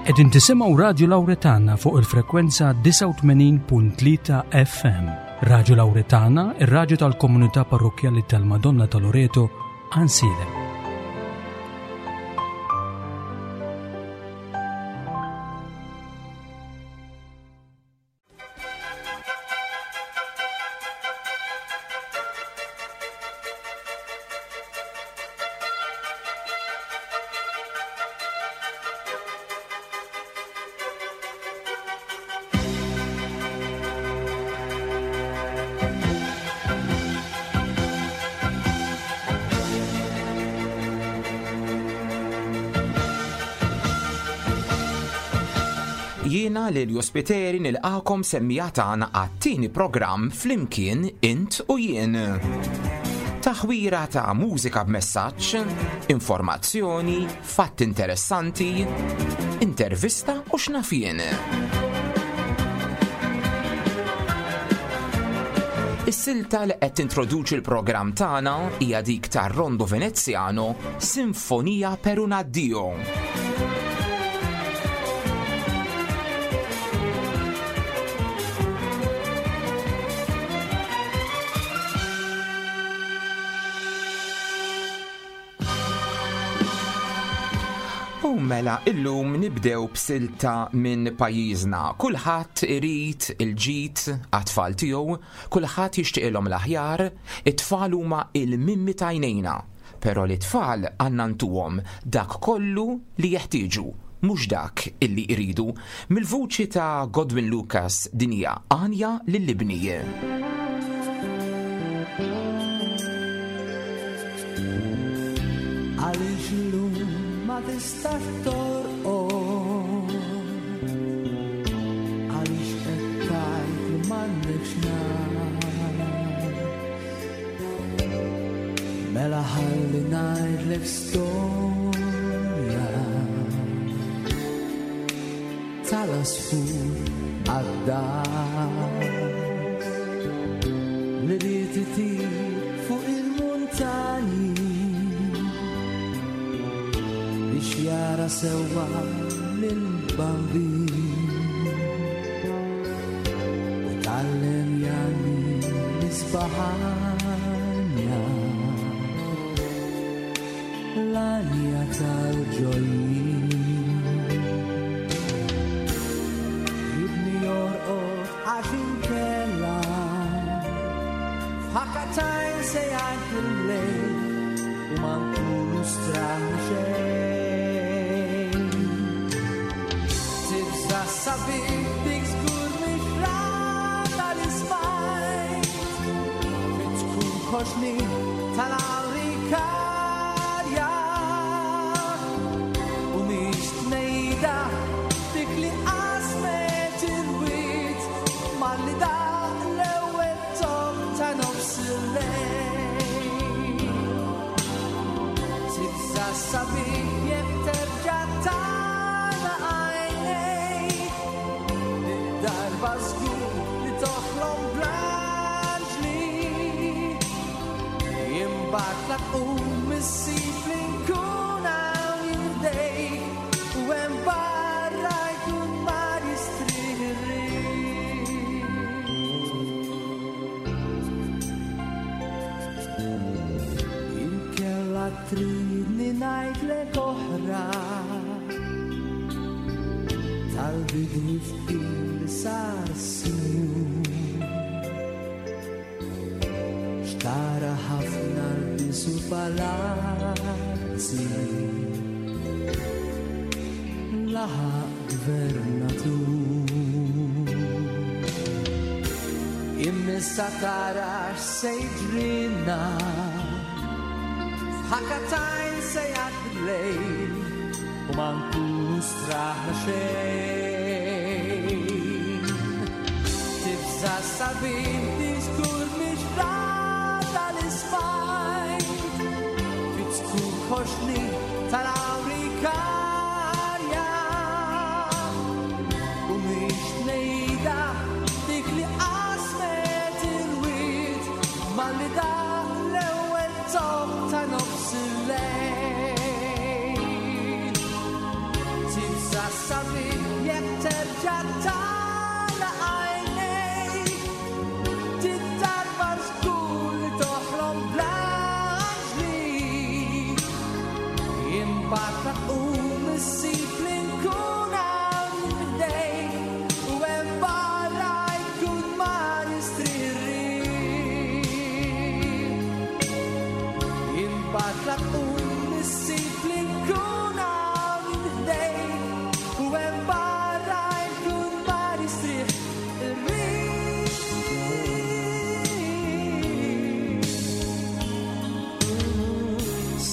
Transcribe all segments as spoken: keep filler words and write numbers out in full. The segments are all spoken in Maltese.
Qegħdin tisimgħu Radju Lawretana fuq il-frekwenza disgħa u tmenin punt tlieta F M. Radju Lawretana, ir-radju tal-komunità parrokkjali tal-Madonna ta' Loreto, Għajnsielem. Jiena lil Jospiteri nilqakom semmija tagħna għat-tieni programm Flimkien Int u Jien. Taħwira ta' mużika b'messaġġ, informazzjoni, fatti interessanti, intervista u x'naf jien. Is-silta li qed tintroduċi l-programm tagħna hija dik tar-Rondo Veneziano, Sinfonia per un addio. U mela illum nibdew b'silta minn pajjiżna. Kulħadd irid il-ġid għat-tfal tiegħu, kulħadd jixtieqilhom l-aħjar, it-tfal huma il-mimmi tajnejna. Però l-tfal għandna ntuhom dak kollu li jeħtieġu, mhux dak illi jridu. Mill-vuċi ta' Godwin Lucas din hija Għanja lill-Ibni. Għaliex illum ma tistax torqod, għaliex qed tgħid li m'għandekx nar. Mela ħalli ngħidlek storja tal-għasfur għad-dar li ried itir fuq il-muntanji biex jara sewwa lill-Bambin u tgħallem jagħni l-isbaħanja l-għanja tal-ġojjin. Jibni jorqod għax inkella f'ħakatajn se jgħid il-lejl u ma nkunu straħna xejn. Tibża' sabiħ dik żgur mhix rata li smajt, fi tkun koxni tal-awrikarja u mhix tnejda dik li qasmet il-wied malli daq l-ewwel tom ta' nofs il-lejl. Tibża' sabiħ jekk terġa' tara għajnejk, id-darba żgur li toħlom bl-anġli. Imbagħad la tqum issib li nkun hawn jdejk u hemm barra jkun mar jistrieħ ir-riħ. Inkella tridni ngħidlek oħra tal-bidwi fqir li sar sinjur, xtara ħafna lbisu palazzi laħaq gvernatur. Immissa tara x'se jiġrilna, f'ħakatajn se jgħaddi l-lejl u ma nkunu straħna xejn. Tibża' sabiħ diskur mhix rata li smajt, fi tkun koxni tal-awrikarja u mhix tnejda dik li qasmet il-wied malli daq l-ewwel tom ta' nofs il-lejl. Tibża' sabiħ Imbagħad la tqum issib li nkun hawn ħdejk u hemm barra jkun mar jistrieħ ir-riħ. Imbagħad la tqum issib li nkun hawn ħdejk u hemm barra jkun mar jistrieħ ir-riħ.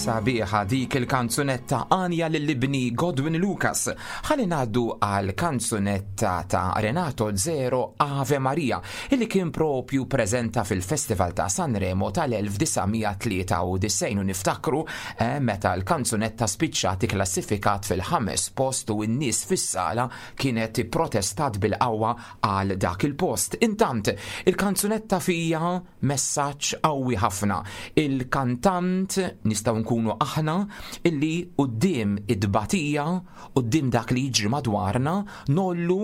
Sabiħa dik il-kanzunetta Anja lill-ibni Godwin Lucas. Ħalli ngħaddu għal kanzunetta ta' Renato Zero Ave Maria, illi kien propju preżenta fil-Festival ta' Sanremo tal-elf disa' mija tlieta u disgħin u niftakru, eh, meta l-kanzunetta spiċċat ikklassifikat fil-ħames post u n-nies fis-sala kienet protestat bil-qawwa għal dak il-post. Intant, il-kanzunetta fija messaġġ qawwi ħafna. Il-kantant nistgħu nkunu aħna illi quddiem id-batija, quddiem dak li jiġri madwarna, nollu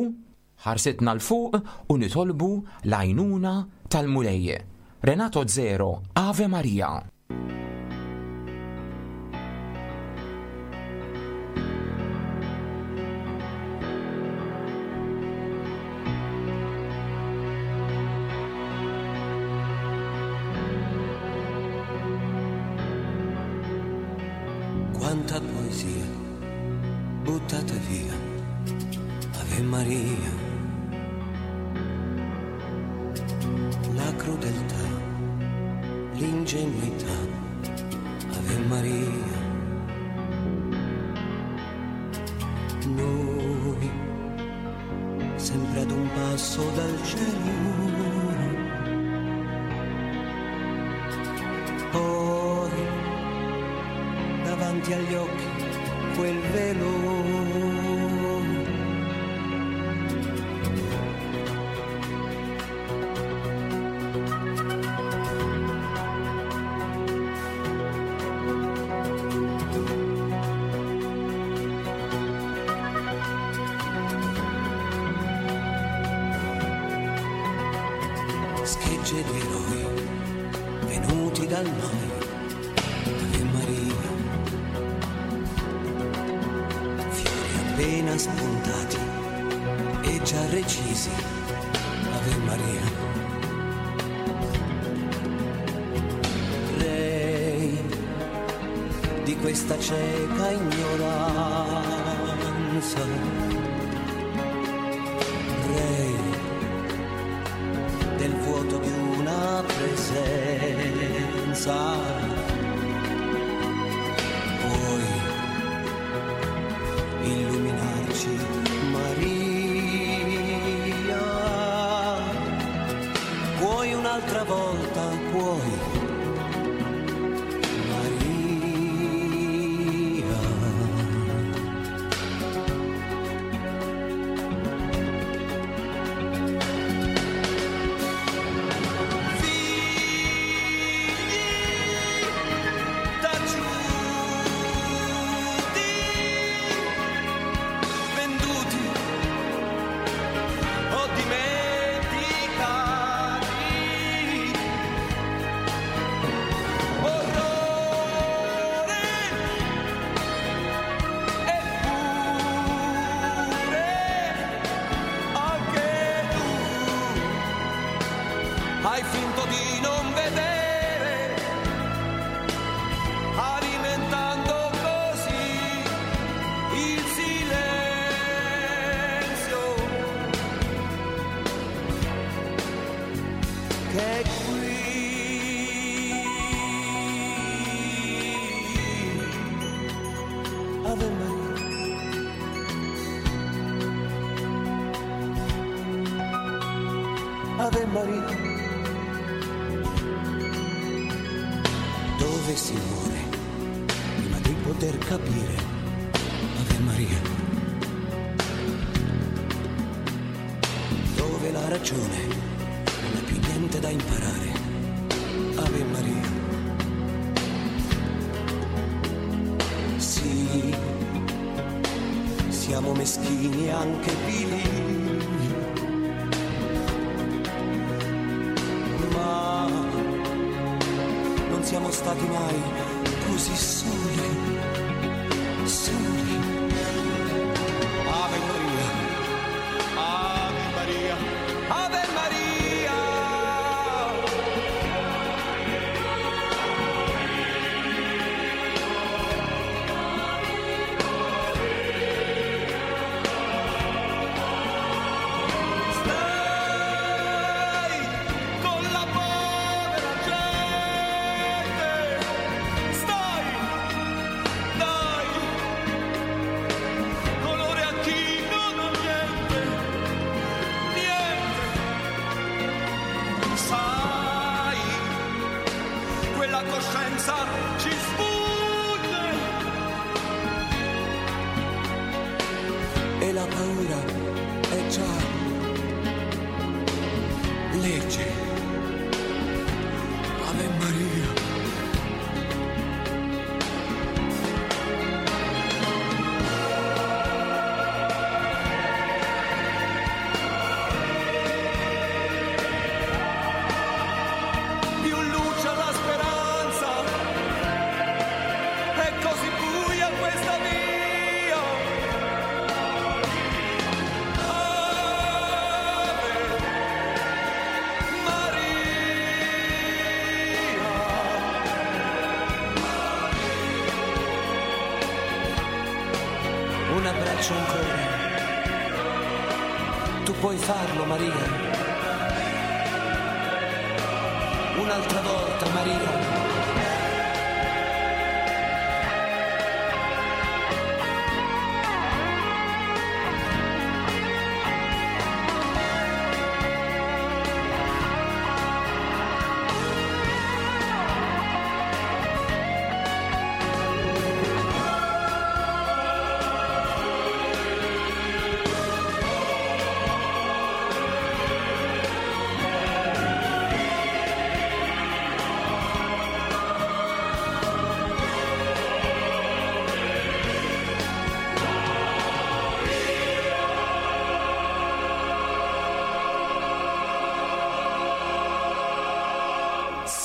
ħarsitna l fuq u nitolbu l-għajnuna tal-Mulej. Renato Zero, Ave Maria. Quanta poesia buttata via, Ave Maria. La crudeltà, l'ingenuità, Ave Maria. Noi sempre ad un passo dal cielo, poi davanti agli occhi quel velo. Schegge di eroi venuti dal noi, Ave Maria. Fiori appena spuntati e già recisi, Ave Maria. Rei di questa cieca ignoranza, rei del vuoto di una presenza, puoi illuminarci, Maria, puoi un'altra volta, puoi, Maria. Hai finto di non vedere, alimentando così il silenzio che è qui. Ave Maria. Ave Maria. Dove si muore prima di poter capire, Ave Maria. Dove la ragione non ha più niente da imparare, Ave Maria. Sì, siamo meschini e anche vili, ma non siamo stati mai così soli, Un abbraccio ancora. Tu puoi farlo, Maria. Un'altra volta, Maria.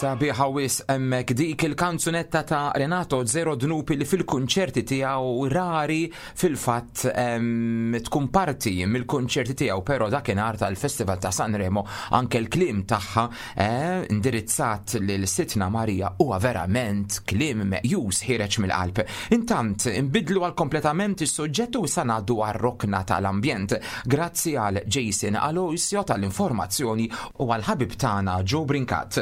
Sabiħa wisq hemmhekk dik il-kanzunetta ta' Renato Zero Dnubi li fil-kunċerti tiegħu rari fil-fatt tkun parti mill-kunċerti tiegħu, però dakinhar tal-Festival ta' Sanremo anke l-kliem tagħha eh, indirizzat lil Sidtna Marija huwa verament kliem meqjus ħiereġ mill-qalb. Intant inbidlu għal kompletament is-suġġett u issa ngħaddu għar-rokna tal-ambjent. Grazzi għal Jason Aloisio tal-informazzjoni u għal ħabib tagħna Joe Brincat.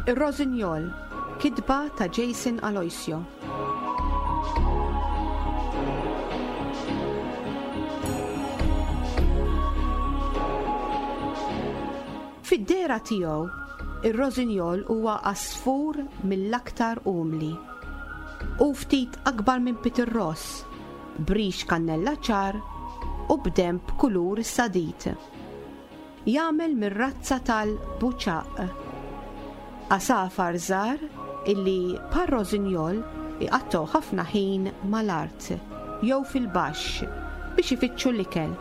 Ir-Rosinjol, kitba ta' Jason Aloisio. Fid-dehra tiegħu, ir-Rosinjol huwa għasfur mill-aktar umli. U ftit akbar minn Peter Ross, b'rix kannella ċar u b'demb kulur sadid. Jagħmel mir-razza tal-buċaq. Għasafar żgħar illi par rosinjol iqattgħu ħafna ħin mal-art jew fil-baxx biex ifittxu l-ikel.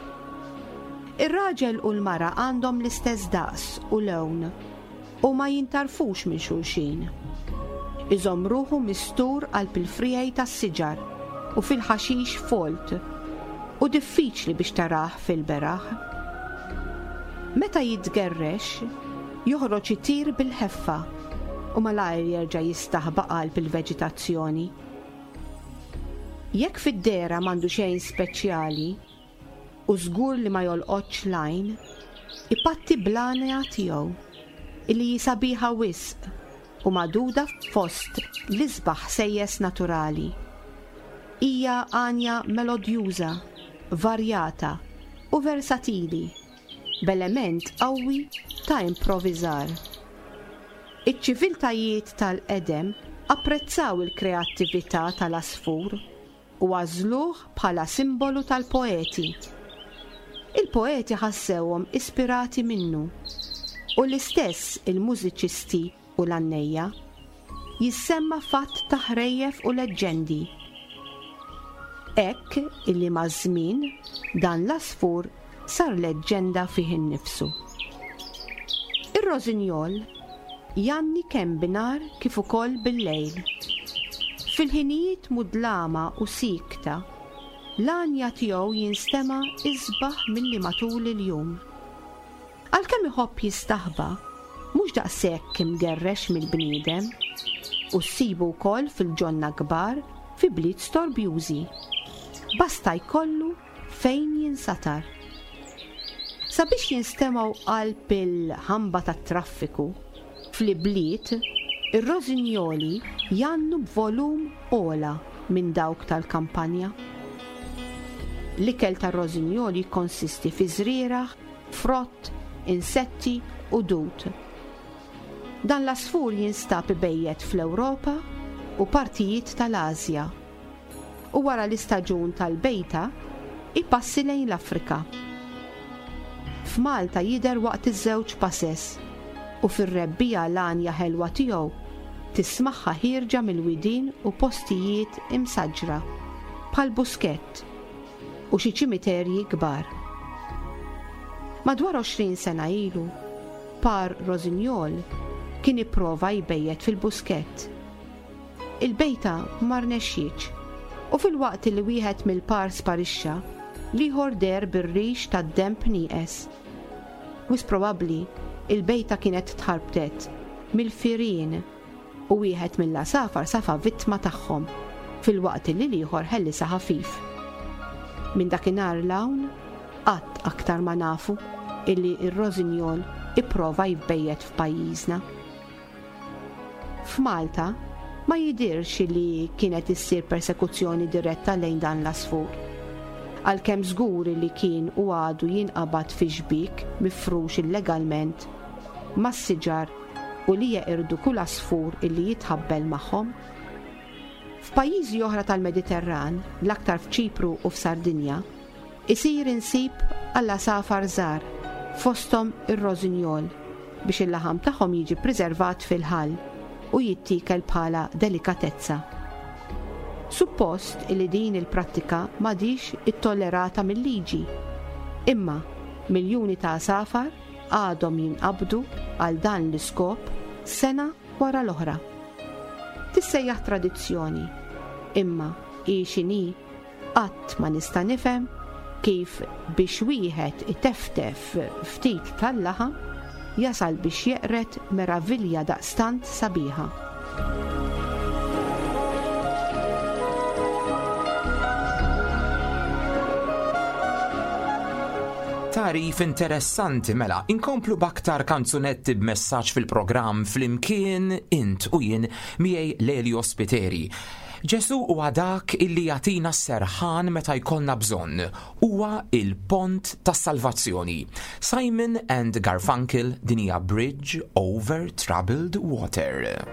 Ir-raġel u l-mara għandhom l-istess daqs u lewn u ma jintarfux minn xulxin. Iżomm ruħu mistur qalb il-frijaj tas-siġar u fil-ħaxix folt u diffiċli biex tarah fil-beraħ. Meta jitgerrex, joħroġ itir bil-ħeffa u malajr jerġa' jistaħba qalb il-veġitazzjoni. Jekk fid-dehra m'għandu xejn speċjali u żgur li ma jolqotx l-għajn, ipatti bl-għanja tiegħu illi hi sabiħa wisq u magħduda fost l-isbaħ ħsejjes naturali. Hija għanja melodjuża, varjata u versatili, b'element qawwi ta' improvviżar. Iċ-ċiviltajiet tal-qedem apprezzaw il-kreattività tal-għasfur u għażluh bħala simbolu tal-poeti. Il-poeti ħassewhom ispirati minnu u l-istess il-mużiċisti u l-għannejja. Jissemma fatt ta' ħrejjef u leġġendi. Hekk illi maż-żmien dan l-għasfur sar leġġenda fih innifsu. Ir-rosinjol janni kemm binhar kif ukoll bil-lejl. Fil-ħinijiet mudlama u sikta, l-għanja tiegħu jinstema' isbaħ milli matul il-jum. Għalkemm iħobb jistaħba, mhux daqshekk imgerrex mill-bniedem, u ssibu wkoll fil-ġonna kbar fi bliet storbjużi. Basta jkollu fejn jinsatar. Sabiex jinstemgħu qalb il-ħamba tat-traffiku, fl-ibliet, ir-rosinjoli jannu b'volum ogħla minn dawk tal-kampanja. L-ikel tar-rosinjoli jikkonsisti fi żrieragħ, frott, insetti u dud. Dan l-għasfur jinstab ibejjet fl-Ewropa u partijiet tal-Asja. U wara l-istaġun tal-bejta, ipassi lejn l-Afrika. F'Malta jidher waqt iż-żewġ passes u fir-rebbija l-għanja ħelwa tiegħu tismagħha ħierġa mill-widien u postijiet imsaġra bħal buskett u xi ċimiterji kbar. Madwar għoxrin sena ilu, par rosinjol kien ipprova jbejjet fil-buskett. Il-bejta ma rnexxietx u filwaqt li wieħed mill-par sparixxa, l-ieħor deher bir-rix tad-denb nieqes. Wisq probabbli il-bejta kienet tħarbtet mill-firien u wieħed mill-għasafar safa vittma tagħhom filwaqt li l-ieħor ħellisha ħafif. Minn dakinhar 'l hawn qatt aktar ma nafu illi r-rosinjol ipprova jbejjet f'pajjiżna. F'Malta ma jidirx li kienet issir persekuzzjoni diretta lejn dan l-għasfur. Għalkemm żgur li kien u għadu jinqabad fi xbik mifrux illegalment mas-siġar u li jeqirdu kull għasfur illi jitħabbel magħhom. F'pajjiżi oħra tal-Mediterran, l-aktar f'Ċipru u f'Sardinja, isir insib għall-għasafar żgħar fosthom ir-rosinjol biex il-laħam tagħhom jiġi preservat fil-ħall u jittiekel bħala delikatezza. Suppost li din il-prattika m'għadhiex ittollerata mill-liġi. Imma miljuni ta' għasafar għadhom jinqabdu għal dan l-iskop sena wara l-oħra. Tissejjaħ tradizzjoni, imma hi x'inhi qatt ma nista' nifhem kif biex wieħed iteftef ftit tal-laħam jasal biex jeqred meravilja daqstant sabiħa. Tagħrif interessanti mela, inkomplu b'aktar kanzunetti b'messaġġ fil-programm Flimkien int u jien miegħi Lelio Spiteri. Ġesu huwa dak illi jagħtina s-serħan meta jkollna bżonn. Huwa il-pont tas-salvazzjoni. Simon and Garfunkel din hija Bridge Over Troubled Water.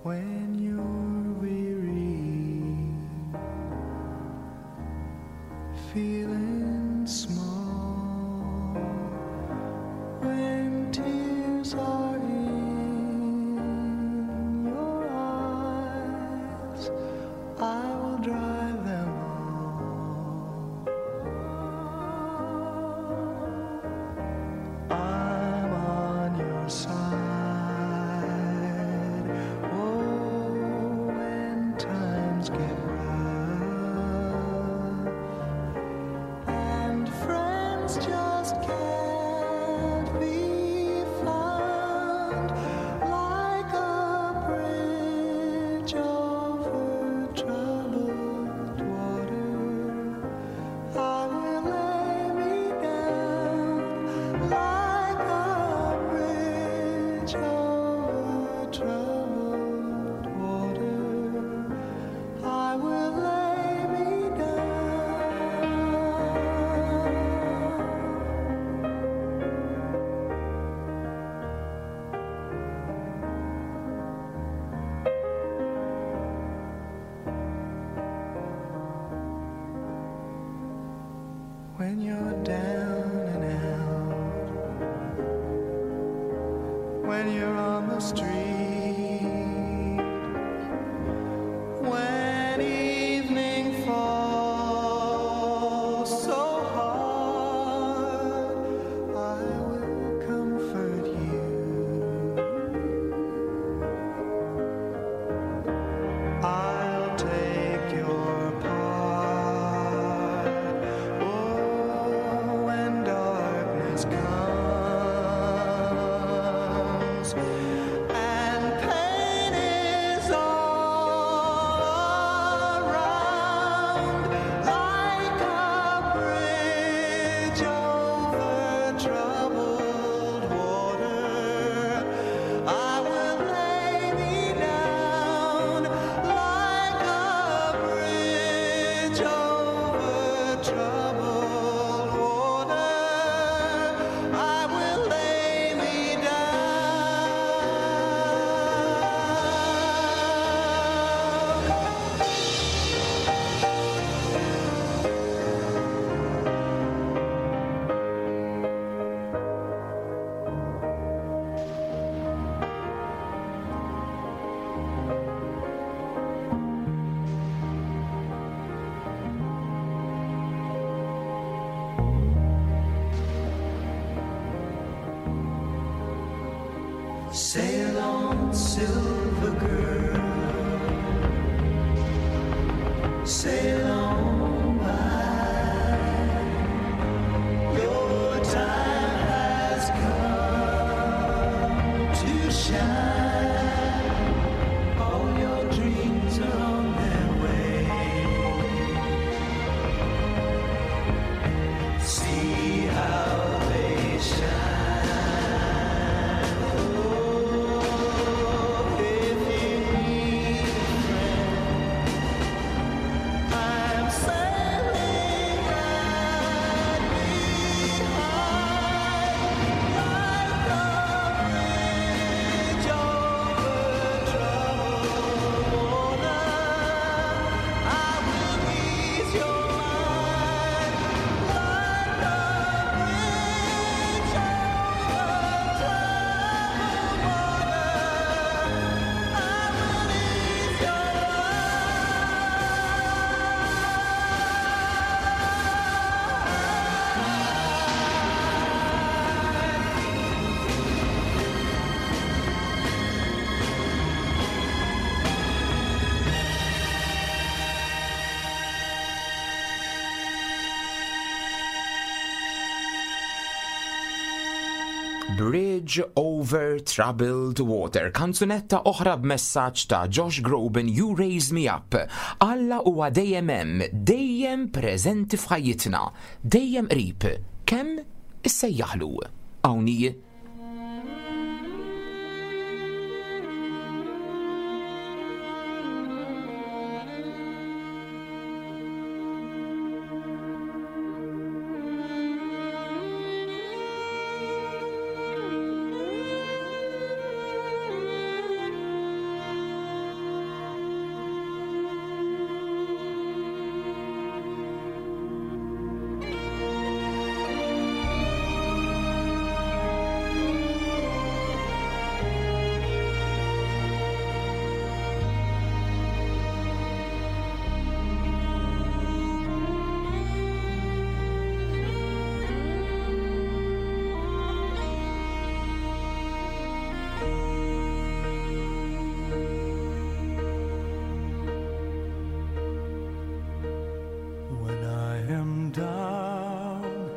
When you're weary, feeling small, when tears are in your eyes, I will dry them all. I'm on your side. Oh, when times get rough and friends just can't be found, like a bridge over troubled water, I will lay me down like a bridge over troubled water. I will lay me down. When you're down and out, when you're on the street, when evening falls so hard, I will comfort you. I'll take your part. Oh, when darkness comes and Sail on, silver girl. Sail on by. Your time has come to shine. All your dreams are on their way. See how they shine. Oh, if you need a friend, I'm sailing right behind, like a bridge over troubled water. I will ease your mind, like a bridge over troubled water. I will ease your Bridge Over Troubled Water, kanzunetta oħra b'messaġġ ta' Josh Groban, You Raise Me Up. Alla huwa dejjem hemm, dejjem preżenti f'ħajjitna, dejjem qrib. Kemm issejjaħlu? Hawn hi When I am down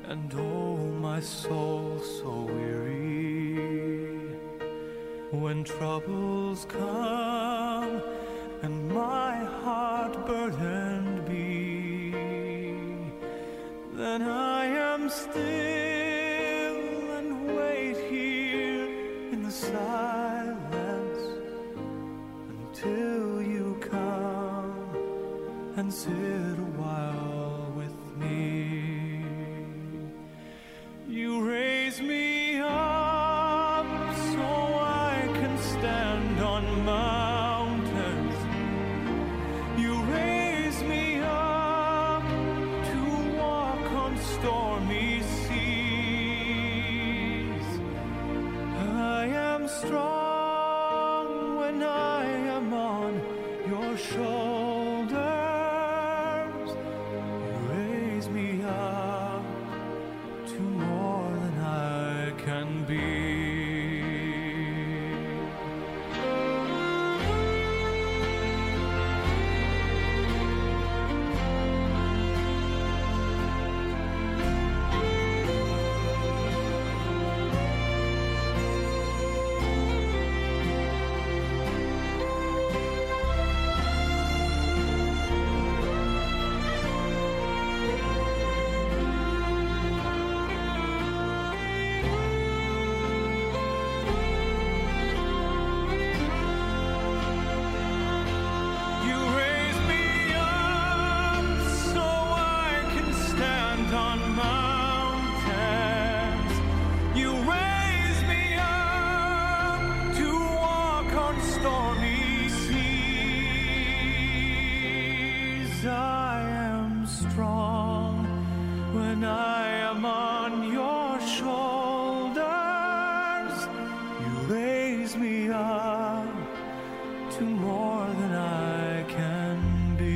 and oh my soul so weary, when troubles come and my heart burdened be, then I am still and wait here in the silence until you come and sit a while with me. You raise me up so I can stand on mountains. You raise me up to walk on stormy seas. I am strong when I am on your shoulders. You raise me up to more than I can be. You raise me up so I can stand on mountains. You raise me up to walk on stormy seas. I am strong when I am on your shoulders. You raise me up to more than I can be.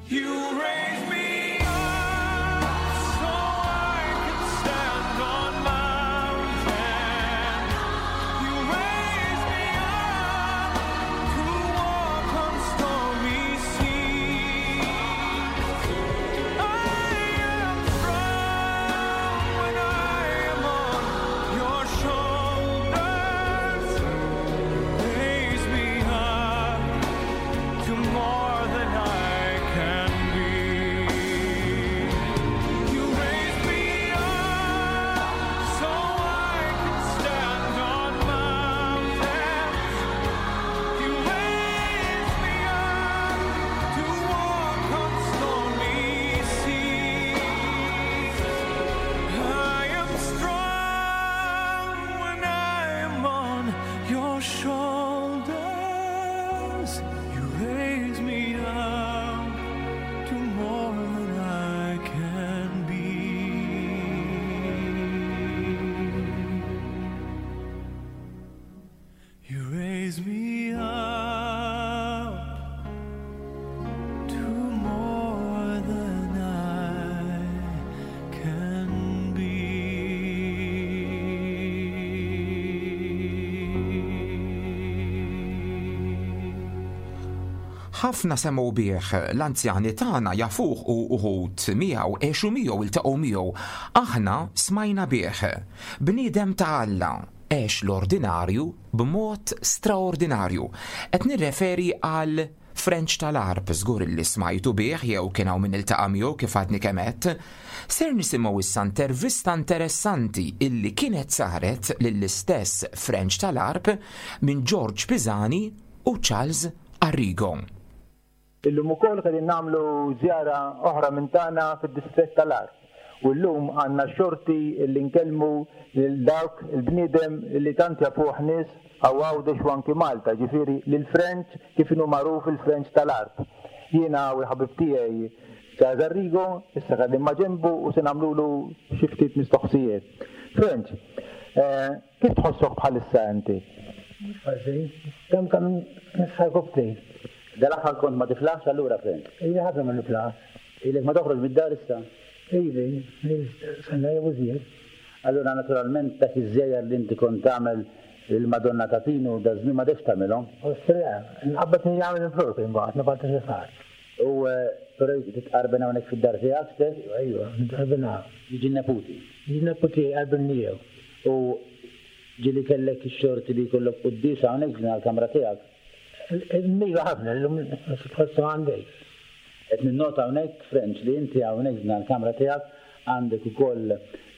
You raise me up so Ħafna semgħu bih, l-anzjani tagħna jafuh u uħud miegħu għexu miegħu, iltaqgħu miegħu. Aħna smajna bih. Bniedem ta' Alla, għex l-ordinarju b'mod straordinarju. Qed nirreferi għal Frenċ tal-Għarb, żgur li smajtu bih jew kien hawn min iltaqa' miegħu kif għadni kemm għedt. Ser nisimgħu issa intervista interessanti illi kienet saret lill-istess Frenċ tal-Għarb minn George Pisani u Charles Arrigo. Illum ukoll qegħdin nagħmlu żjara oħra minn tagħna fid-distrett tal-Għarb. U llum għandna xorti li nkellmu lil dawk il-bniedem li tant jafuh nies hawn Għawdex u anki Malta, ġifieri lil Frenċ kif inhu magħruf il-Frenċ tal-Għarb. Jiena u l-ħabib tiegħi Charles Arrigo, issa qegħdin ma' ġenbu u se nagħmlulu xi ftit mistoqsijiet. Frenċ, eh, kif tħossok bħalissa inti? Mhux ħażin, kemm kemm nisħaku ftit. Dal-aħħar kont ma tiflaħx allura, Frenċ? Ili ħafna ma niflaħ. Ilek ma toħroġ mid-dar issa? Ili, sena jew iżjed. Allura naturalment dak iż-żjajjar li inti kont tagħmel il-Madonna ta' Pinu da żmien ma dekx tagħmilhom. Ostra, nqabbad nagħmel il-flur imbagħad nibgħat xi ħadd. U però titqarben hawnhekk fid-dar tiegħek stess? Ejwa, nitqarben hawn. Jiġi n-neputi? Jiġi n-neputi jqarben miegħu. U ġieli kellek ix-xorti li jkollok quddiesa hawnhekk f'din il-kamra tiegħek? Iva ħafna, illum tħossu għandek. Qed ninnota hawnhekk, Frenċ, li inti hawnhekk f'din il-kamra tiegħek għandek ukoll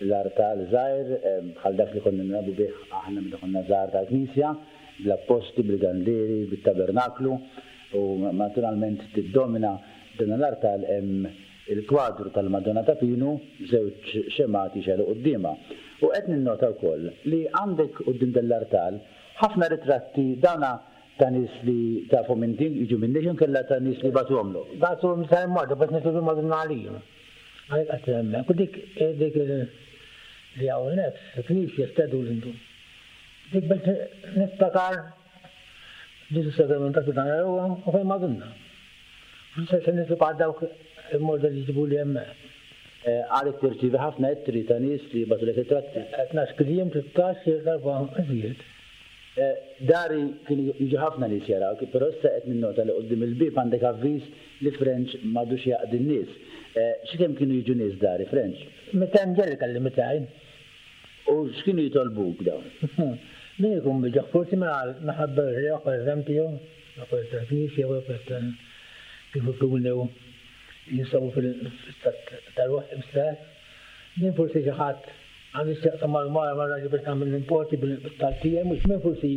l-artal żgħir bħal dak li konna nilagħbu bih aħna meta konna żgħar tal-Knisja, bl-apposti, bil-gandieri, bit-tabernaklu, u naturalment tiddomina dan l-artal hemm il-kwadru tal-Madonna ta' Pinu, żewġ xemgħat jixegħlu quddiemha. U qed ninnota wkoll li għandek quddiem dan l-artal ħafna ritratti dawna ta' nies li tafhom inti, jiġu minn nies jew inkella ta' nies li bagħtuhomlok. Bagħtuhom sa jmorru biex nitolbu Madonna għalihom. Għalhekk qed hemmhekk. U dik, dik li hawn nefs, il-knisja stedu l-intu. Dik biex niftakar Ġesu Sagramentat dan huwa u fejn Madonna. Se se nitlob għal dawk il-morda li jġibu li hemmhekk. Għalek tirċievi ħafna ittri ta' nies li jibgħatulek ritratti. Tnax kliem, tlettax, darba iżjed. Dari kienu jiġu ħafna nies jarawk, però issa qed ninnota li quddiem il-bieb għandek avviż li Frenċ m'għadux jaqdi n-nies. Xi kemm kienu jiġu nies dari, Frenċ? Mitejn ġelli kelli mitejn. U x'kienu jitolbuk dawn? Min ikun biġaħ, forsi minħabba r-reħ, per eżempju, l-affarijiet tal-knisja, u l-affarijiet kif ikunu jinsabu fil-istat tal-ruħ stess. Min forsi xi ħadd għandu x'jaqsam mal-mara mar-raġel biex tagħmel l-importi bil-taltija, mhux min forsi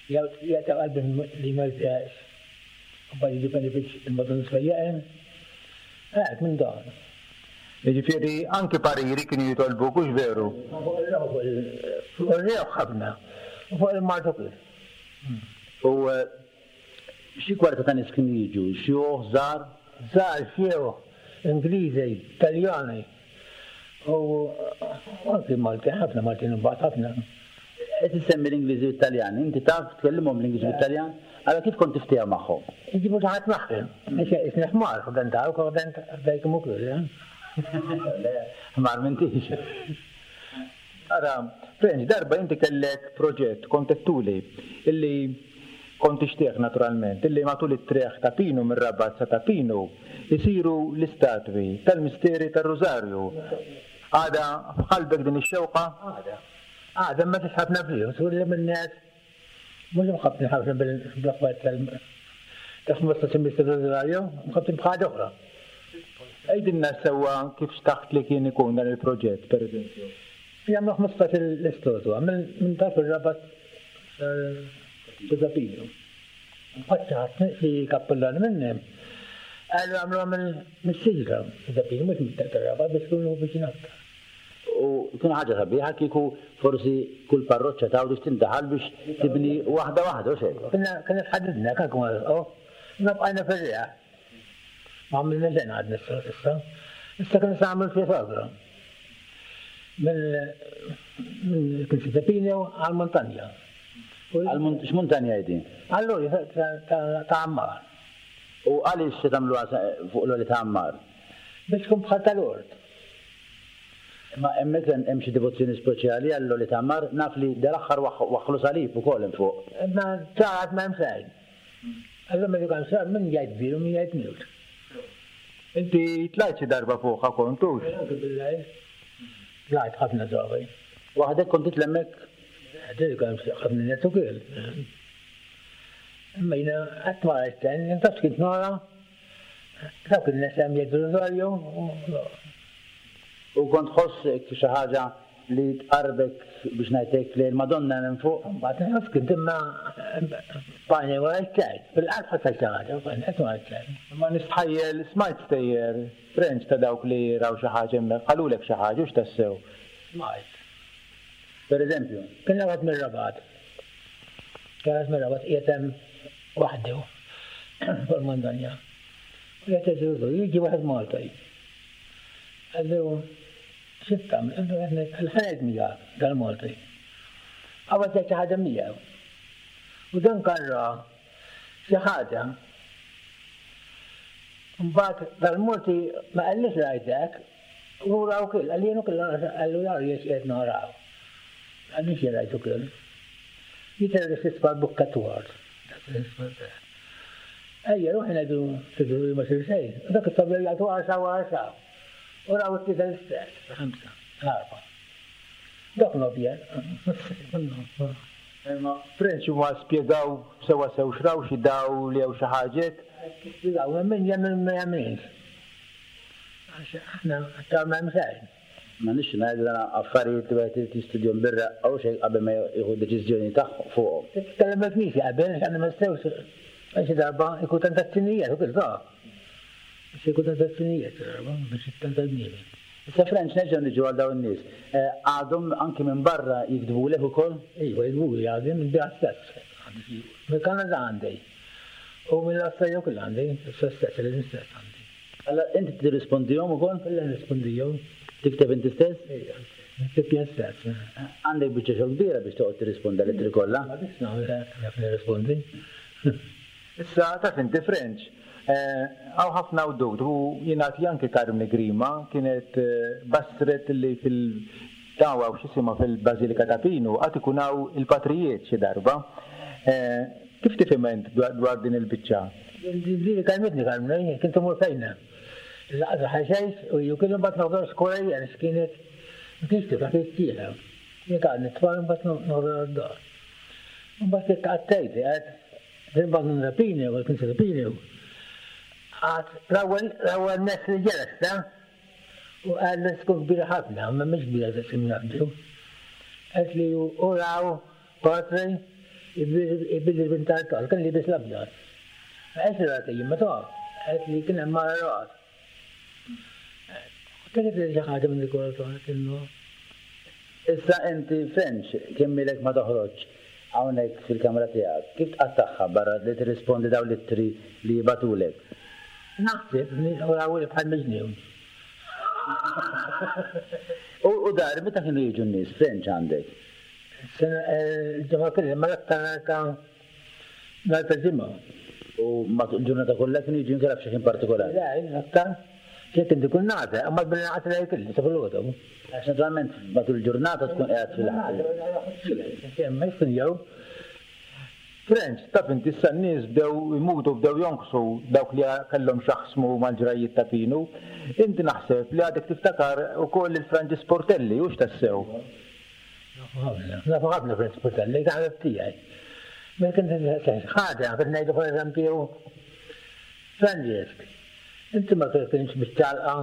jagħti qalbi li ma jfieqx. U mbagħad jiddependi biex il-Madonna tfejjaqhom. Hekk minn dan. Jiġifieri anki pariri kienu jitolbuk, hux veru? Fuq ir-reħ, fuq ir-reħ ħafna, u fuq il-mard ukoll. U xi kwarta ta' nies kienu jiġu? Xjuħ, żgħar? Żgħar, xjuħ, Ingliżi, Taljani. U anki Malti, ħafna Maltin imbagħad ħafna. Qed issemmi l-Ingliżi u t-Taljani, inti taf tkellimhom l-Ingliżi u t-Taljan? Allora kif kont tiftieha magħhom? Iġibu xi ħadd magħhom. Isni ħmar, ħdan dawk, ħdan dajkum ukoll, eh? Le, ħmar m'intix. Ara, Frenċ, darba inti kellek proġett, kont għedtuli, illi kont tixtieq naturalment, illi matul it-triq ta' Pinu mir-Rabat sa ta' Pinu isiru l-istatwi tal-misteri tar-Rużarju. Għada f'qalbek din ix-xewqa? Għada. Għada ma tix ħafna flus, u li minn nies mhux imħabbtin ħafna bil-aħbar tal- ta' ħmistax il Rużarju, imħabbtin b'ħaġa oħra. Għidilna sewwa kif xtaqt li kien ikun dan il-proġett, per eżempju. Jagħmlu ħmistax l-istatwa minn tarf ir-Rabat sa Pinu. Mbagħad xi ħadd xi kappillan minnhom qalu għamluha mis-siġra sa Pinu, mhux mit-Rabat biex ikunu viċin aktar. U tkun ħaġa sabiħa kieku forsi kull parroċċa ta' biex tindaħal biex tibni waħda waħda, u xejn. Konna konna tħaddidna, kan kun għal, ma bqajna fir-riħ. Ma għamilna xejn għadna issa, issa. Issa kien se nagħmlu xi sagra. Minn kien xi Pinu għall-muntanja. X'muntanja hi din? Allura ta' Ammar. U għaliex se tagħmluha fuq l-għoli ta' Ammar? Biex tkun bħal tal-ort. Ma hemmhekk hemm xi devozzjoni speċjali għall-għoli ta' Ammar, naf li dal-aħħar waħħlu salib ukoll hemm fuq. Ma ċaħat ma hemm xejn. Allora ma kan sar min jgħid bir u min jgħid miut. Inti tlajt xi darba fuqha kontux? Anke billahi. Tlajt ħafna drabi. Waħdek kont titla' hemmhekk? Dik kien ħafna nies ukoll. Imma jiena qatt ma rajt ten, jien kint nara dawk in-nies hemm jgħidu rożarju U kont tħoss xi ħaġa li tqarbek biex ngħidlek li l-Madonna hemm fuq? Mbagħad nħoss kint imma bajni ma rajt xejn. Fil-qalb ħassejt xi ħaġa, qatt ma rajt xejn. Ma nistħajjel smajt stejjer French ta' dawk li raw xi ħaġa hemmhekk, qalulek xi ħaġa u x'tassew. Smajt. Per eżempju? Kien wieħed mir-Rabat. Kien wieħed mir-Rabat qiegħed hemm waħdu fuq il-montanja. U qiegħed jgħidu, jiġi wieħed Malta. Qallu xi tagħmel? Qallu ħaned miegħek dal-Malti. Qabad jgħid xi ħaġa miegħu. U dan kan ra xi ħaġa. Mbagħad dal-Malti ma qallix rajt hekk, u raw kill, qalli jien ukoll qallu jara jiex qed naraw. Għalli xi rajt ukoll. Jidher li tisfa' bukkatwar. Ejja, ruħi ngħidu tidru li ma sir xejn. Dak it-tabel jgħidu għaxa u għaxa. U raw it-tlieta l-istess, ħamsa, l-arba. Dak nobjen. Imma French huma spjegaw sewwa sew x'raw xi dawl jew xi ħaġa hekk? Spjegaw, min jemmen ma jemminx. Għax aħna ta' ma hemm xejn. Ma nix ngħidu dan affarijiet li wieħed irid jistudjahom bir-reqqa u xejn qabel ma jieħu deċiżjoni tagħhom fuqhom. Titkellem mal-Knisja qabel, għax aħna ma nistgħux għax xi darba jkun tentazzjonijiet u kif ta'. Biex jkun tentazzjonijiet darba biex tenta bniedem. Issa French nerġgħu niġu għal dawn in-nies. Għadhom anki minn barra jiktbulek ukoll? Iva, jiktbuli għadhom minn biha stess. Mill-Kanada għandi. U mill-Awstralja wkoll għandi, stess, l-istess għandi. Allora inti tirrispondihom ukoll? Kollha nirrispondihom. Tikteb inti stess? Ejja, nikteb jien stess. Għandek biċċa xogħol kbira biex toqgħod tirrisponda l-ittri kollha? Ma biex nagħmel naf nirrispondi. Issa taf inti French, hawn ħafna wdud u jingħad li anke Carmine Grima kienet basret li fil-dawa u x'isimha fil-Bażilika ta' Pinu għad ikun hawn il-patrijiet xi darba. Kif tifhem int dwar din il-biċċa? Din kalmitni Carmine, kien tumur fejna. Laqgħa ħaxejx u ju kienu mbagħad noħdor skola jien x'kienet ma kienx tifla kienet tieħa. Jien qgħad nitfal mbagħad noħdor għad-dar. Mbagħad qgħadt qed mbagħad nrapini u kien rapini. Għad l-ewwel l-ewwel nes li ġeles ta' u qal li tkun kbira ħafna, ma mhix kbira daqs kemm jgħaddu. Qed li u raw patri ibidil bint tal, kien libes l-abjad. Ma qed li rati jien ma taf, qed li kien hemm mara rat. Kienet li xi ħaġa minn dik kienu. Issa inti French kemm ilek ma toħroġ hawnhekk fil-kamra tiegħek, kif tqattagħha barra li tirrispondi dawn l-ittri li jibagħtulek? Naħseb li raw bħal miġnun. U dar meta kienu jiġu n-nies French għandek? Sena ġimgħa kollha, ma l-aktar ta' nhar ta' ġimgħa. U matul il-ġurnata kollha kienu jiġu inkella f'xi ħin partikolari? Le, aktar. Jekk inti kun nagħta, imma billi naqgħod lejl kelli sa filgħodu. Għax naturalment matul il-ġurnata tkun qiegħed fil-ħadd. Ma jkun jew. French, taf inti issa n-nies bdew imutu bdew jonqsu dawk li kellhom x'jaħsmu mal-ġrajiet ta' Pinu. Inti naħseb li għadek tiftakar ukoll il-Franġis Portelli, hux tassew? Nafu ħafna, nafu ħafna Franġis Portelli, ta' ħabib tiegħi. Ma kien ħaġa, kien ngħidu pereżempju Franġis, inti ma kienx biex talqa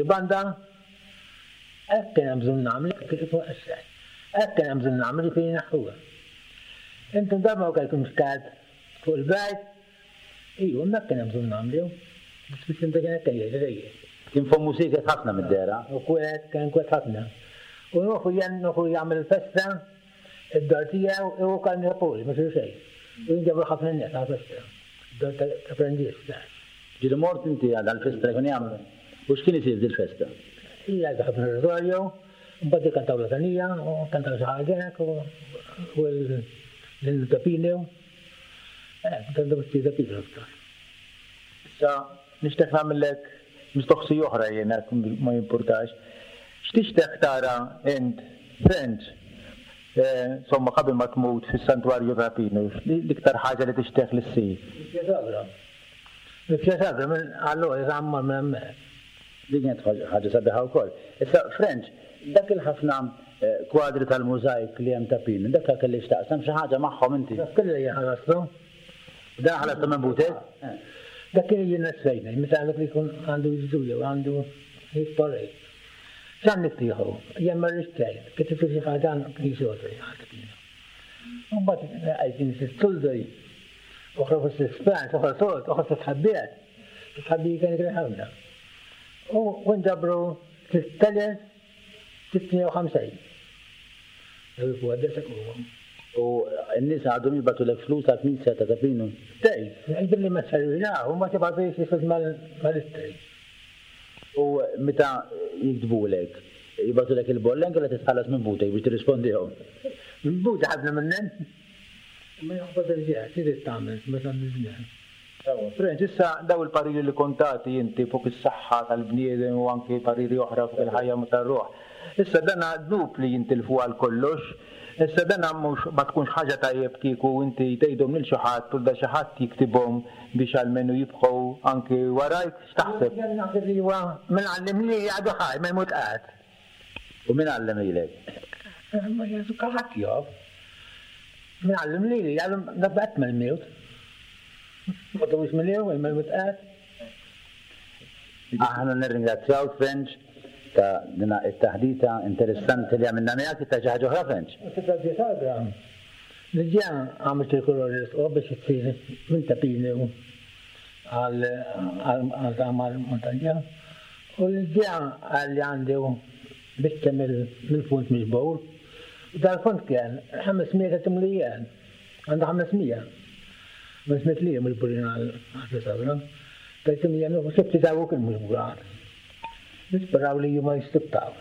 banda, hekk kien hemm bżonn nagħmel, hekk kien hemm bżonn nagħmel fejn naħuha. Intom darba ma kellkomx kalb fuq il-bajt, iju, hemmhekk kien hemm bżonn nagħmlu. Biex biex inti kien hekk jgħid. Kien fommu sieket ħafna mid-dehra. U kwiet, kien kwiet ħafna. U nuħu jen, nuħu jagħmel festa, id-dar tiegħu u kan Napoli, ma sir xejn. U jinġabru ħafna nies għal festa. Id-dar ta' Franġis, Ġieli mort inti għal festa li kien jagħmel. U x'kien isir dil-festa? Ija ħafna rożarju, mbagħad kantaw latanija, u kantaw xi ħaġa hekk, u l-Tapinu. Eh, kantaw xi Tapinu aktar. Issa nixtieq nagħmellek mistoqsija oħra jiena ma jimpurtax. X'tixtieq tara int French Insomma, qabel ma tmut fis-santwarju ta' Pinu, l-iktar ħaġa li tixtieq li ssir? Il-Pjasagra. Il-Pjasagra minn allura jgħammar minn hemmhekk. Din kienet ħaġa sabiħa wkoll. Issa, French, dak il-ħafna kwadri tal-mużajk li hemm ta' Pinu, dak kelli x'taqsam xi ħaġa magħhom inti? Dak kelli jien ħalastu. Dan ħalastu minn butek? Dak kien jien nessejna, meta għandek li jkun għandu jiżdu jew għandu jitparrej. X'għan niftieħu, jien ma rridx xejn, kif tifri xi ħaġa knisja oħra ħadd kienu. U mbagħad qegħdin sistuldoj, oħra fuq l-ispans, oħra sod, oħra titħabbiet. Titħabbi kien kien ħafna. U nġabru sitt elef sitt mija u ħamsin. U n-nies għadhom jibgħatulek flus għall-knisja ta' Pinu? Tej, billi ma servina, u ma tibgħatux flus mal-istej. U meta jiktbulek, jibgħatulek il-bollen kellha titħallas minn butek biex tirrispondihom? Minn butek ħafna minnhom. Ma jaħbad il-ġieħ, trid tagħmel meta niżmien. French, issa daw il-pariri li kontati inti fuq is-saħħa tal-bniedem u anki pariri oħra fuq il-ħajja tar-ruħ. Issa dan dnub li jintilfu għal kollox, issa dan mhux ma tkunx ħaġa tajjeb kieku inti tgħidhom lil xi ħadd u da xi ħadd jiktibhom biex almenu jibqgħu anki warajk, x'taħseb? Jien naħseb li huwa min għallem li għadu ħaj, ma jmut qatt. U min għallem lilek? Ma jesu ħadd jof. Min għallem lili, għallem dak qatt ma jmut. Ma tawx mill-ewwel ma jmut qatt. Aħna nirringrazzjaw French ta' dina it-taħdita interessanti li għamilna miegħek, ta' xi ħaġa oħra French. Diġà għamilt il-kolor l-isqof biex issir minn ta' Pinu għal tagħmel montanja. U diġà għalli għandi biċċa mill-fond miġbur. U dal-fond kien ħames mija ta' timlijan. Għandu ħames mija. Ħames miet lira miġburin għal sabra. Tal-timlijan u xifti ta' kien miġburat. Nisperaw li ma jistibtaw.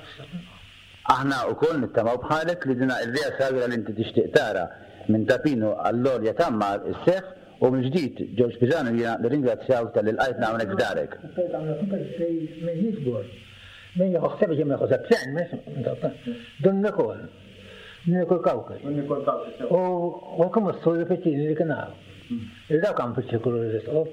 Aħna wkoll nittamaw bħalek li dina il-Via Sagra li inti tixtieq tara minn Ta' Pinu għall-Għolja Tammar isseħħ u minn ġdid Ġorġ Pisanu jiena nirringrazzjaw tal-li lqajtna hawnhekk f'darek. Min jiġbor, min jieħu ħsieb ma jieħu ħsieb xejn, Dun Nikol, Dun Nikol Kawki. Dun Nikol Kawki. U kemm s-suri fiċini li kien hawn. Il-daw kan fiċ-ċirkolu l-isqof,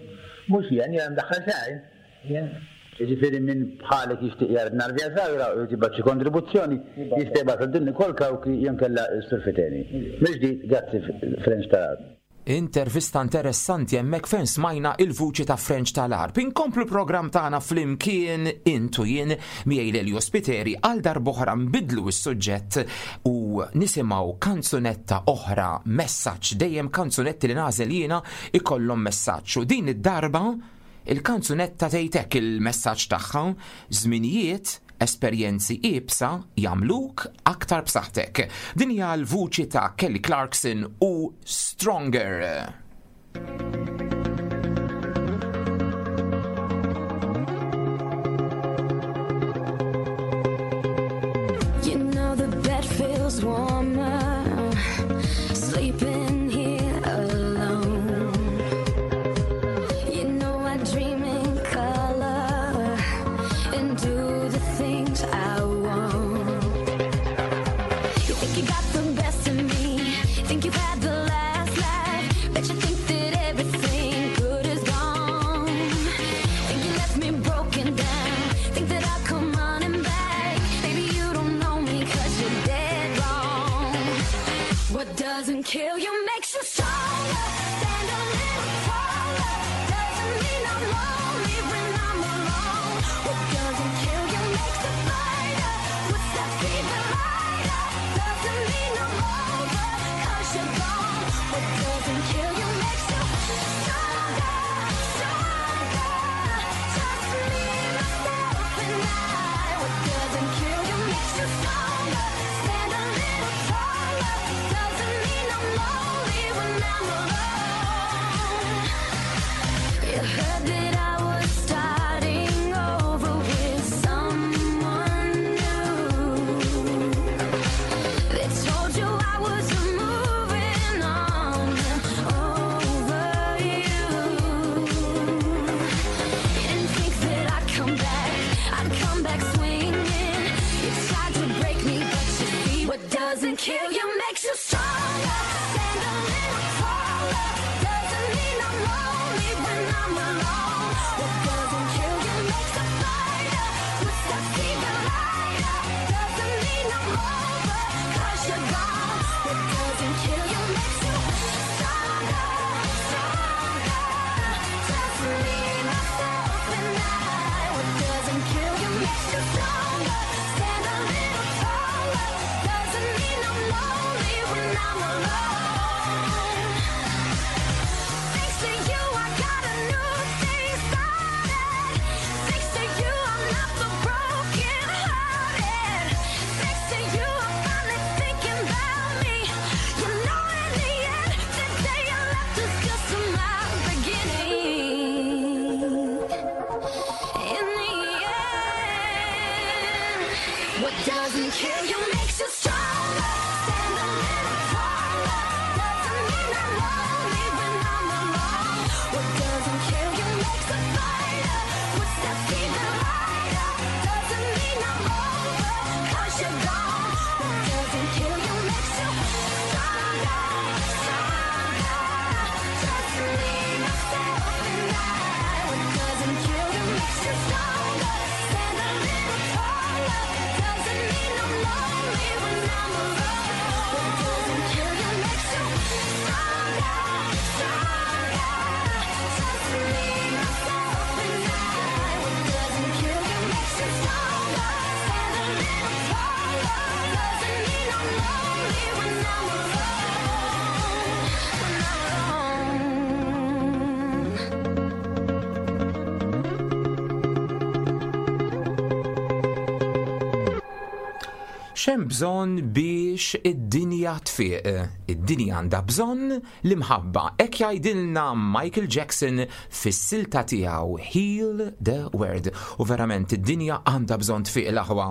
mhux jien jien daħħal xejn. Jien Jiġifieri min bħalek jixtieq jara l-Via Sagra u jibgħat xi kontribuzzjoni, jista' jibgħat Dun Nikol Kawki jew inkella s-Sur Fiteni. Mill-ġdid, grazzi French tal-Għarb. Intervista interessanti hemmhekk fejn smajna il-vuċi ta' French tal-Għarb. Inkomplu programm tagħna flimkien intu jien miegħi Lelio Spiteri għal darb'oħra nbidlu s-suġġett u nisimgħu kanzunetta oħra, messaġġ, dejjem kanzunetti li nagħżel jiena ikollhom messaġġ. U din id-darba il-kanzunetta tgħid hekk il-messaġġ tagħha: żminijiet, esperjenzi iebsa jagħmluk aktar b'saħħtek. Din hija l-vuċi ta' Kelly Clarkson u Stronger. You know the bed feels warmer sleeping here alone. You know I dream in color and do the things I want. You think you got the best of me, think you've had the last laugh, bet you think that everything good is gone. Think you left me broken down, think that I'll come running back. Baby, you don't know me 'cause you're dead wrong. What doesn't kill you makes you stronger. Stand a little taller. Doesn't mean I'm lonely when I'm alone. What doesn't kill you makes a fighter. Puts that fever lighter. Doesn't mean I'm over 'cause you're gone. What doesn't kill you makes you stronger, stronger. Just me, myself, and I. What doesn't kill you makes you stronger. Stand a little taller. Doesn't mean I'm lonely when I'm alone. You heard that I was starting over with someone new. They told you I was moving on over you. You didn't think that I'd come back, I'd come back swinging. You tried to break me, but you see what doesn't kill you makes What doesn't kill you makes you stronger. Stand a little taller. Doesn't mean I'm lonely when I'm alone. What doesn't kill you makes a fighter. Footsteps even lighter. Doesn't mean I'm over 'cause you're gone. What doesn't kill you makes you stronger, stronger. Just me, myself, and I. What doesn't kill you makes you stronger. Stand a little taller. Doesn't mean I'm lonely when I'm alone. What doesn't kill you makes you stronger, stronger. Just me, myself, and I. What doesn't kill you makes you stronger. Stand a little taller. Doesn't mean I'm lonely when I'm alone. When I'm alone. X'hemm bżonn biex id-dinja tfiq? Id-dinja għandha bżonn l-imħabba. Hekk jgħidilna Michael Jackson fis-silta tiegħu Heal the World. U verament id-dinja għandha bżonn tfiq l-aħwa.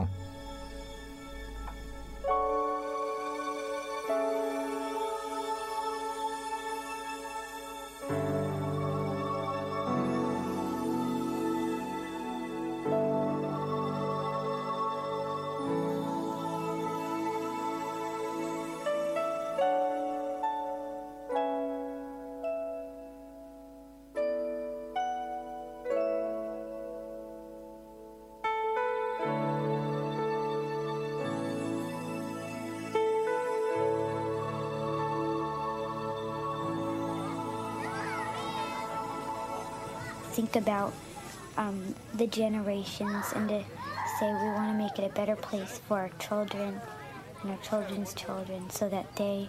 Think about um, the generations and to say we want to make it a better place for our children and our children's children so that they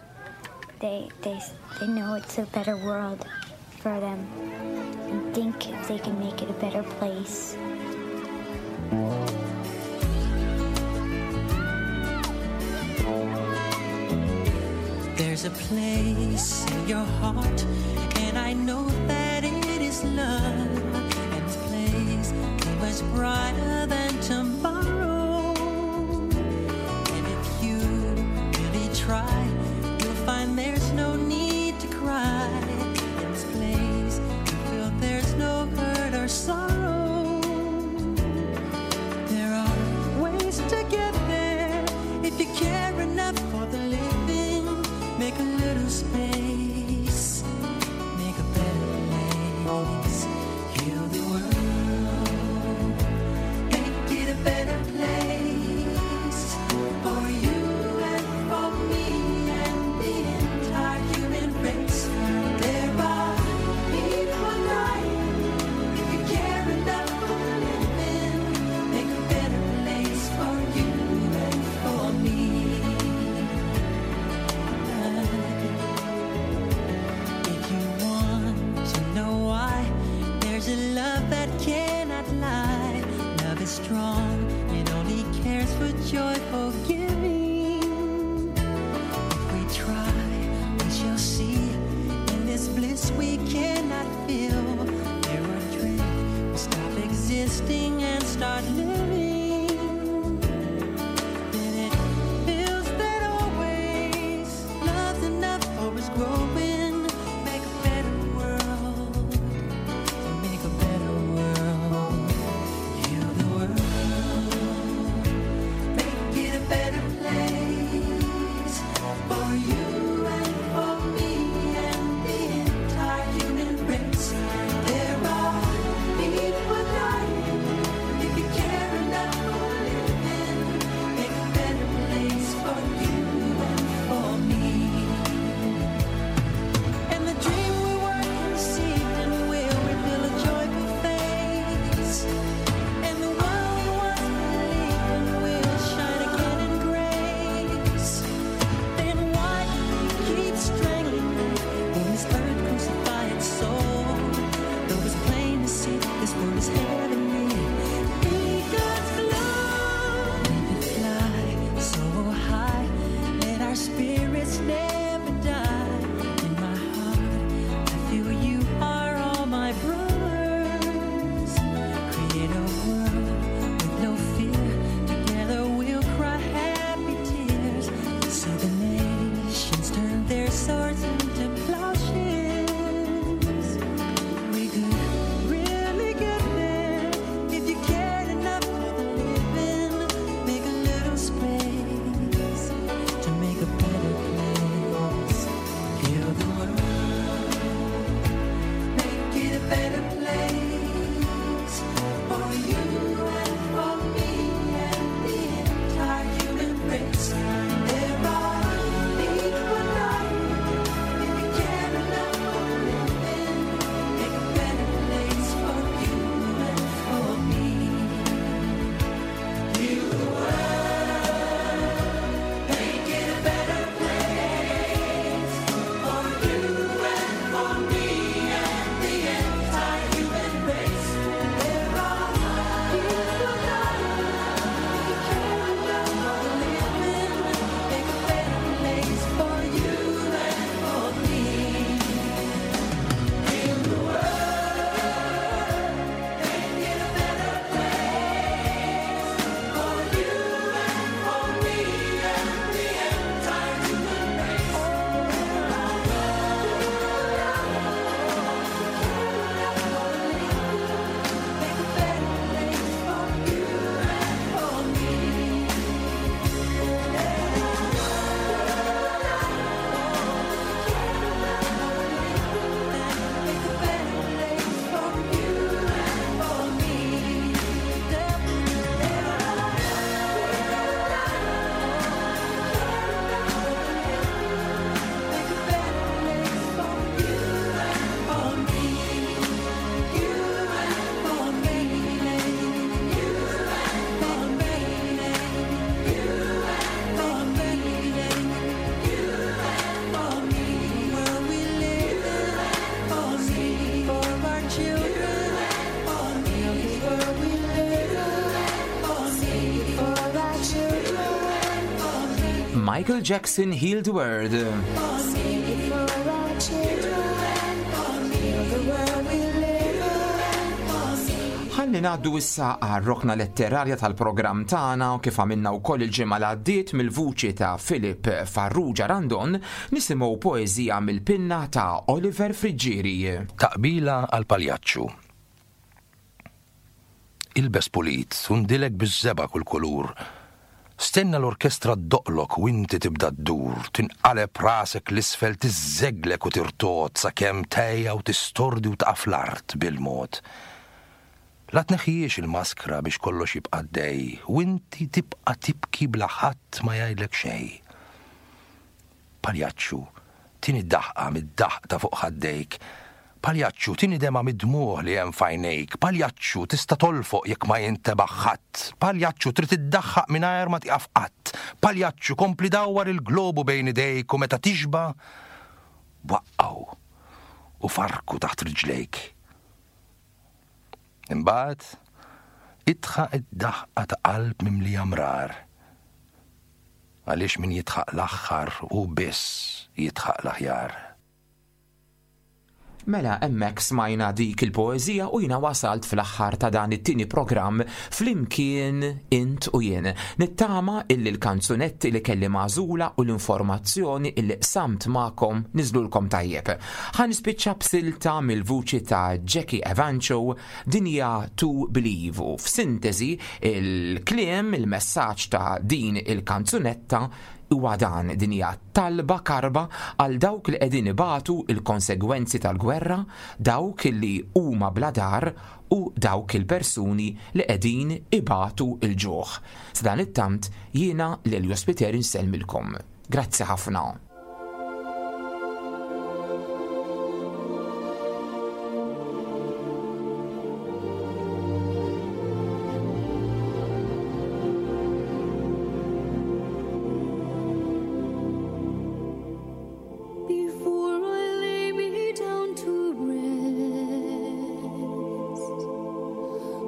they they they know it's a better world for them and think if they can make it a better place. There's a place in your heart, and I know that it is love. And this place is much brighter than tomorrow. And if you really try, you'll find there's no need to cry. In this place, you feel there's no hurt or sorrow. There are ways to get there if you care enough for the living. Make a little space, make a better place. Heal the world, make it a better place for you and for me and the entire human race. There are people dying. If you care enough for the living, make a better place for you and for me. If you want to know why, there's a love that cannot lie. Love is strong, it only cares for joyful giving. If we try, we shall see. In this bliss we cannot feel. There are dreams, we stop existing and start living. Then it feels that always love's enough for us growing. Make a better world. Make a better world. Heal the world. Make it a better place. Michael Jackson Heal the World. For our children, heal the world we live in. Ħalli ngħaddu issa għar-rokna letterarja tal-programm tagħna u kif għamilna wkoll il-ġimgħa li għaddiet mill-vuċi ta' Philip Farrugia Randon nisimgħu poeżija mill-pinna ta' Oliver Friggieri. Taqbila għal paljaċċu. Ilbes pulit, u ndilek biż-żebgħa kull kulur. Stenna l-orkestra ddoqqlok u inti tibda ddur, tinqaleb rasek l-isfel tiżżeglek u tirtod sakemm tgħejja u tistordi u taqa' fl-art bil-mod. La tneħħijiex il-maskra biex kollox jibqa' dej, u inti tibqa' tibki bla ħadd ma jgħidlek xejn. Paljaċċu, tini daħqa mid-daħq ta' fuq ħaddejk. Paljaċċu, tini demgħa mid-dmugħ li hemm f'għajnejk. Paljaċċu, tista' tolfoq jekk ma jintebaħ ħadd. Paljaċċu, trid iddaħħaq mingħajr ma tieqaf qatt. Paljaċċu, kompli dawwar il-globu bejn idejk u meta tixba' waqqgħu u farku taħt riġlejk. Imbagħad idħaq id-daħqa ta' qalb mimlija mrar. Għaliex min jidħaq l-aħħar u biss jidħaq l-aħjar. Mela hemmhekk smajna dik il-poeżija u jiena wasalt fl-aħħar ta' dan it-tieni programm flimkien int u jien. Nittama illi l-kanzunetti li kelli magħżula u l-informazzjoni illi qsamt magħkom niżlulkom tajjeb. Ħa nispiċċa b'silta mill-vuċi ta' Jackie Evancho, din hija To Believe, u f'sintesi il-kliem, il-messaġġ ta' din il-kanzunetta huwa dan: din hija talba karba għal dawk li qegħdin ibatu il-konsegwenzi tal-gwerra, dawk li huma bla dar u dawk il-persuni li qegħdin ibatu il-ġuħ. Sadanittant jiena lil Jospiteri nsellmilkom. Grazzi ħafna. Before I lay me down to rest,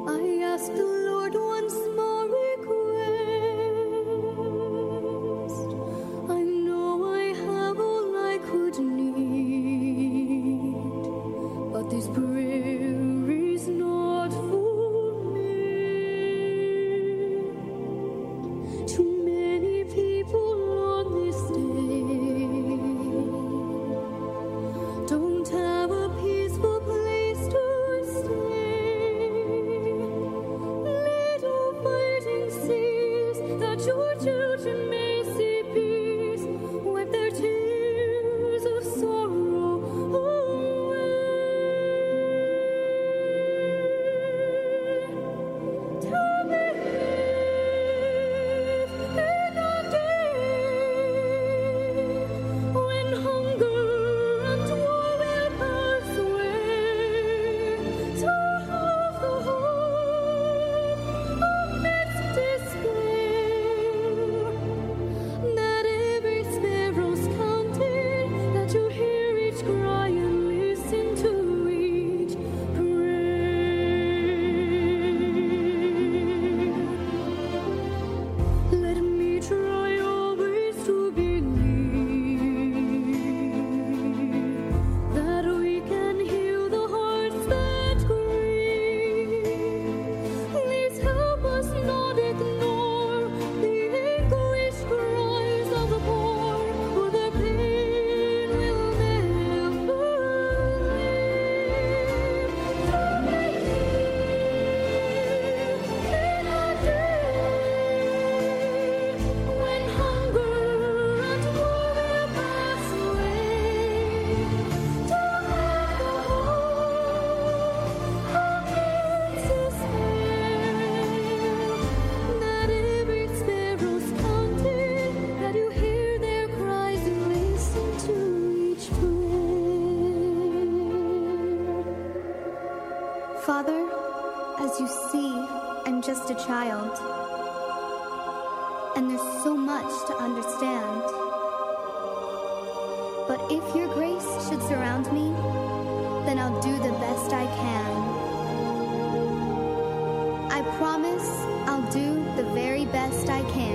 I ask the Lord one small request. I know I have all I could need, but this prayer is not for me. Too many people on this day don't have a peaceful place to stay. Let all fighting cease, that your children may see peace. Wipe their tears of sorrow away. To believe in a day when hunger and war will pass away, to have the hope amidst despair, that every sparrow's counted, that you hear each cry and listen to each prayer. Let me try always to believe that we can heal the hearts that grieve. Please help us not ignore the anguished cries of the poor, for their pain will never leave. To believe in a day when hunger and war will pass away, to have the hope amidst despair, that every sparrow's counted, that you hear their cries and listen to each prayer. Father, as you see, I'm just a child. And there's so much to understand. But if your grace should surround me, then I'll do the best I can. I promise I'll do the very best I can.